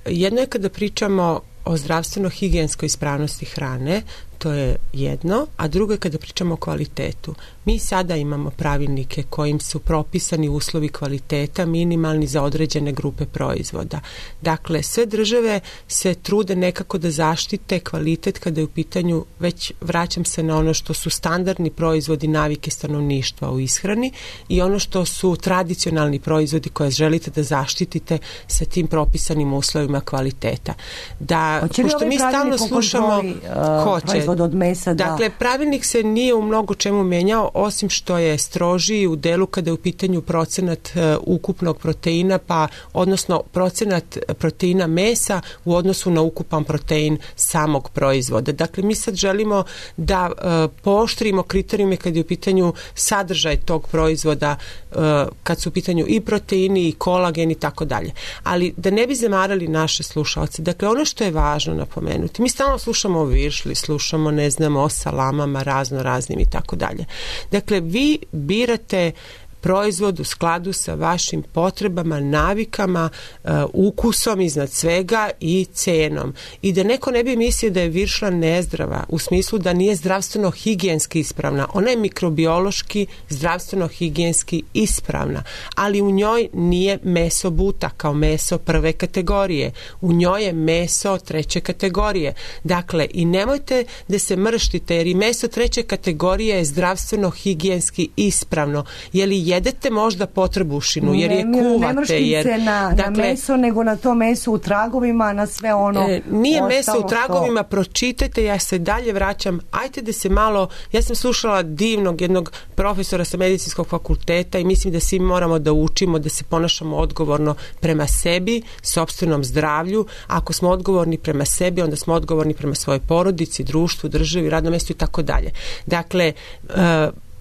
jedno je kada pričamo o zdravstveno-higijenskoj ispravnosti hrane, to je jedno, a drugo je kada pričamo o kvalitetu. Mi sada imamo pravilnike kojim su propisani uslovi kvaliteta minimalni za određene grupe proizvoda. Dakle, sve države se trude nekako da zaštite kvalitet kada je u pitanju, već vraćam se na ono što su standardni proizvodi, navike stanovništva u ishrani i ono što su tradicionalni proizvodi koje želite da zaštitite sa tim propisanim uslovima kvaliteta. Da, hoće pošto mi stalno slušamo kontroli, uh, hoće. Od mesa, da. Dakle, pravilnik se nije u mnogo čemu menjao, osim što je strožiji u delu kada je u pitanju procenat uh, ukupnog proteina, pa odnosno procenat proteina mesa u odnosu na ukupan protein samog proizvoda. Dakle, mi sad želimo da uh, pooštrimo kriterijume kada je u pitanju sadržaj tog proizvoda, uh, kad su u pitanju i proteini i kolagen i tako dalje. Ali da ne bi zamarali naše slušalce, dakle, ono što je važno napomenuti, mi stalno slušamo o viršli, slušamo ne znamo o salamama razno raznim i tako dalje. Dakle, vi birate proizvod u skladu sa vašim potrebama, navikama, uh, ukusom iznad svega i cenom. I da neko ne bi mislio da je viršla nezdrava, u smislu da nije zdravstveno higijenski ispravna. Ona je mikrobiološki, zdravstveno higijenski ispravna, ali u njoj nije meso buta kao meso prve kategorije. U njoj je meso treće kategorije. Dakle, i nemojte da se mrštite, jer i meso treće kategorije je zdravstveno higijenski ispravno. Je li jedete možda potrebušinu, jer je kuvate. Ne mrštim jer, se na, dakle, na meso, nego na to meso u tragovima, na sve ono. E, nije meso u tragovima, što... pročitajte, ja se dalje vraćam, ajte da se malo, ja sam slušala divnog jednog profesora sa medicinskog fakulteta i mislim da svi moramo da učimo, da se ponašamo odgovorno prema sebi, sopstvenom zdravlju. Ako smo odgovorni prema sebi, onda smo odgovorni prema svojoj porodici, društvu, državi, radnom mjestu i tako dalje. Dakle, uh,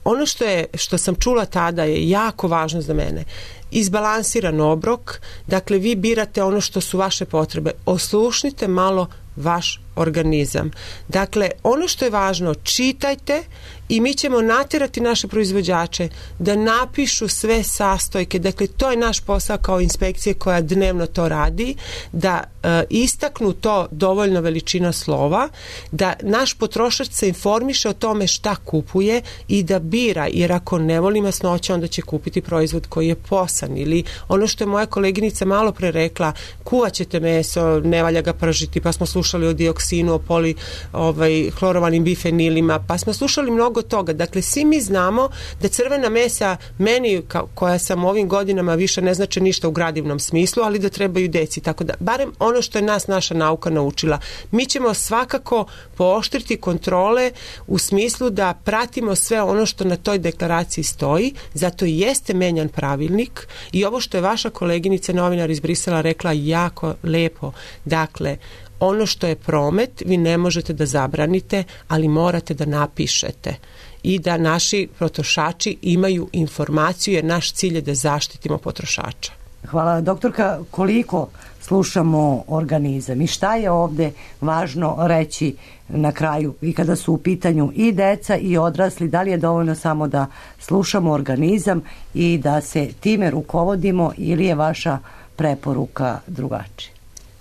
ono što je, što sam čula tada je jako važno za mene. Izbalansiran obrok, dakle vi birate ono što su vaše potrebe. Oslušnite malo vaš organizam. Dakle, ono što je važno, čitajte i mi ćemo natjerati naše proizvođače da napišu sve sastojke. Dakle, to je naš posao kao inspekcije koja dnevno to radi, da e, istaknu to dovoljno veličina slova, da naš potrošač se informiše o tome šta kupuje i da bira, jer ako ne voli masnoće, onda će kupiti proizvod koji je posan. Ili ono što je moja koleginica malo pre rekla, kuvaćete meso, ne valja ga pržiti, pa smo slušali o dioksinu, o poli, ovaj, hlorovanim bifenilima, pa smo slušali mnogo toga. Dakle, svi mi znamo da crvena mesa meni, ka, koja sam ovim godinama, više ne znači ništa u gradivnom smislu, ali da trebaju deci, tako da, barem ono što je nas naša nauka naučila. Mi ćemo svakako pooštriti kontrole u smislu da pratimo sve ono što na toj deklaraciji stoji, zato i jeste menjan pravilnik i ovo što je vaša koleginica novinar iz Brisela rekla jako lepo. Dakle, ono što je promet, vi ne možete da zabranite, ali morate da napišete i da naši potrošači imaju informaciju, jer naš cilj je da zaštitimo potrošača. Hvala, doktorka. Koliko slušamo organizam i šta je ovde važno reći na kraju i kada su u pitanju i deca i odrasli, da li je dovoljno samo da slušamo organizam i da se time rukovodimo ili je vaša preporuka drugačija?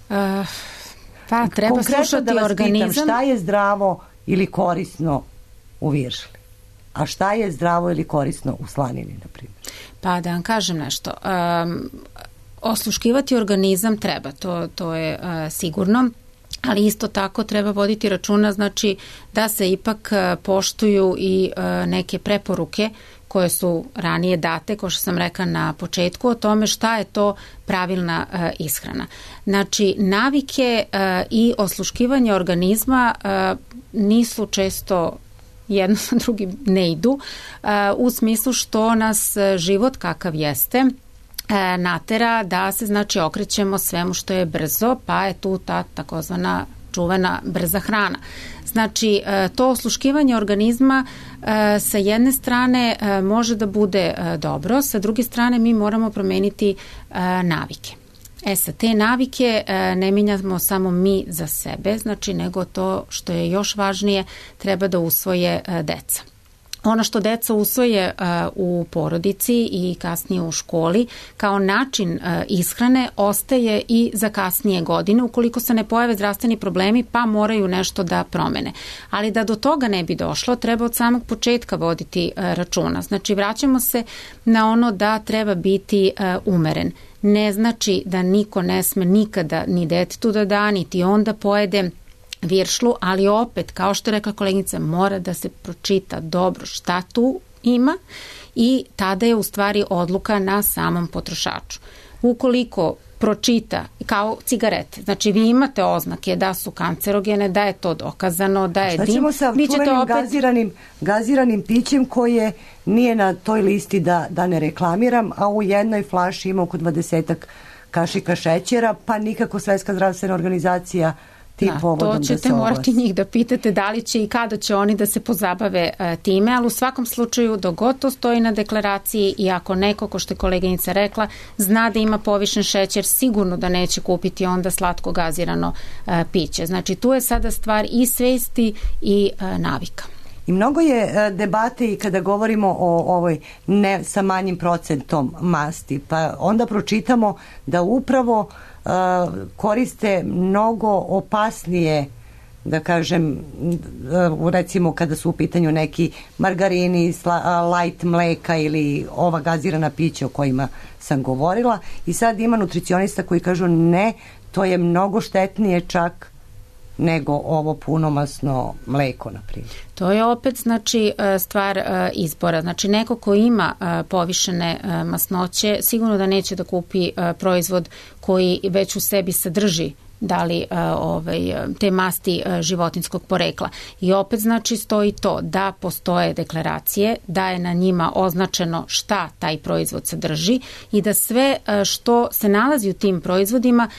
Uh, pa treba Konkretno slušati da vas organizam. Pitam, šta je zdravo ili korisno u viršli? A šta je zdravo ili korisno u slanini, na primjer? Pa da vam kažem nešto. Um, osluškivati organizam treba, to, to je uh, sigurno. ali isto tako treba voditi računa, znači da se ipak poštuju i neke preporuke koje su ranije date, kao što sam rekla na početku, o tome šta je to pravilna ishrana. Znači, navike i osluškivanje organizma nisu često jedno sa drugim ne idu, u smislu što nas život kakav jeste natera da se znači okrećemo svemu što je brzo, pa je tu ta takozvana čuvena brza hrana. Znači, to osluškivanje organizma sa jedne strane može da bude dobro, sa druge strane mi moramo promeniti navike. E sad, te navike ne menjamo samo mi za sebe, znači nego to što je još važnije treba da usvoje deca. Ono što deca usvoje uh, u porodici i kasnije u školi kao način uh, ishrane ostaje i za kasnije godine ukoliko se ne pojave zdravstveni problemi pa moraju nešto da promene. Ali da do toga ne bi došlo treba od samog početka voditi uh, računa. Znači vraćamo se na ono da treba biti uh, umeren. Ne znači da niko ne sme nikada ni detetu da da, niti onda pojede viršlu, ali opet, kao što je rekla koleginica, mora da se pročita dobro šta tu ima i tada je u stvari odluka na samom potrošaču. Ukoliko pročita kao cigarete, znači vi imate oznake da su kancerogene, da je to dokazano, da je dim. Šta ćemo sa čuvenim opet... gaziranim, gaziranim pićem koje nije na toj listi da, da ne reklamiram, a u jednoj flaši ima oko dvadesetak kašika šećera, pa nikako Svetska zdravstvena organizacija Da, to ćete da morati njih da pitate da li će i kada će oni da se pozabave uh, time, ali u svakom slučaju dok god to stoji na deklaraciji i ako neko, ko što je koleginica rekla, zna da ima povišen šećer, sigurno da neće kupiti onda slatko gazirano uh, piće. Znači tu je sada stvar i svesti i uh, navika. I mnogo je uh, debate i kada govorimo o ovoj ne sa manjim procentom masti, pa onda pročitamo da upravo Uh, koriste mnogo opasnije, da kažem, uh, recimo kada su u pitanju neki margarini, sla, uh, light mleka ili ova gazirana pića o kojima sam govorila, i sad ima nutricionista koji kažu ne, to je mnogo štetnije čak nego ovo punomasno mleko, na primjer. To je opet znači stvar izbora. Znači neko ko ima povišene masnoće sigurno da neće da kupi proizvod koji već u sebi sadrži da li ovaj, te masti životinskog porekla. I opet znači stoji to da postoje deklaracije, da je na njima označeno šta taj proizvod sadrži i da sve što se nalazi u tim proizvodima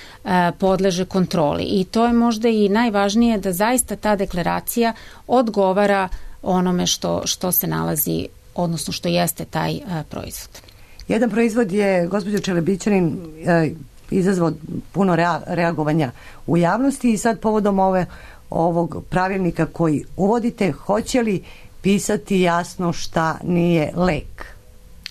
podleže kontroli. I to je možda i najvažnije da zaista ta deklaracija odgovara onome što, što se nalazi, odnosno što jeste taj proizvod. Jedan proizvod je, gospođo Čelebićanin, izazvao puno reagovanja u javnosti i sad povodom ove, ovog pravilnika koji uvodite, hoće li pisati jasno šta nije lek?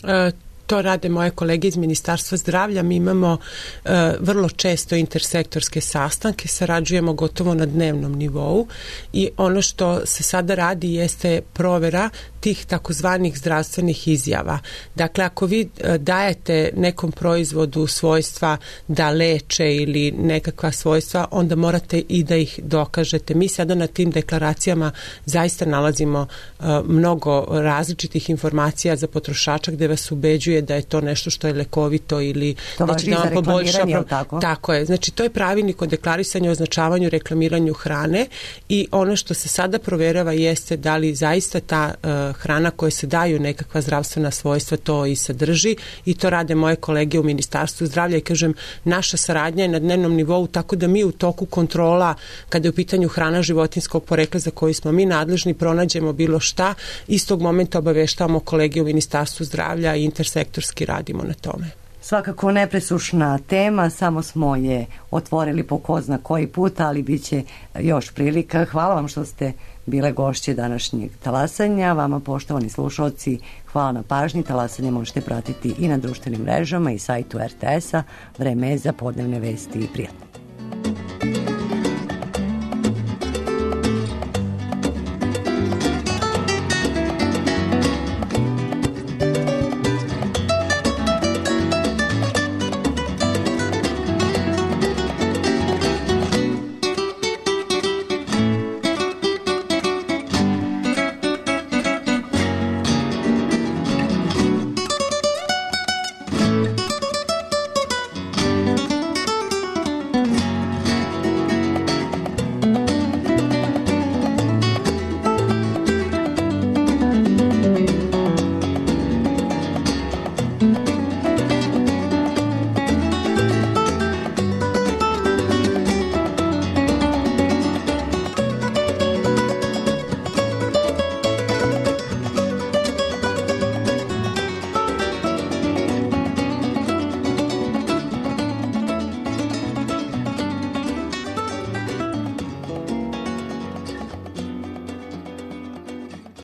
E, to rade moje kolege iz Ministarstva zdravlja. Mi imamo e, vrlo često intersektorske sastanke, sarađujemo gotovo na dnevnom nivou i ono što se sada radi jeste provera tih takozvanih zdravstvenih izjava. Dakle, ako vi dajete nekom proizvodu svojstva da leče ili nekakva svojstva, onda morate i da ih dokažete. Mi sada na tim deklaracijama zaista nalazimo uh, mnogo različitih informacija za potrošača gde vas ubeđuje da je to nešto što je lekovito ili to da će da vam poboljša. Tako? Tako je. Znači, to je pravilnik o deklarisanju, označavanju, reklamiranju hrane i ono što se sada proverava jeste da li zaista ta uh, hrana koje se daju nekakva zdravstvena svojstva to i sadrži i to rade moje kolege u Ministarstvu zdravlja i kažem, naša saradnja je na dnevnom nivou tako da mi u toku kontrola kada je u pitanju hrana životinjskog porekla za koju smo mi nadležni pronađemo bilo šta, istog momenta obaveštavamo kolege u Ministarstvu zdravlja i intersektorski radimo na tome. Svakako nepresušna tema, samo smo je otvorili po ko zna koji put, ali bit će još prilika. Hvala vam što ste bile gošće današnjeg talasanja. Vama, poštovani slušalci, hvala na pažnji. Talasanje možete pratiti i na društvenim mrežama i sajtu er te es a. Vreme je za podnevne vesti i prijatno.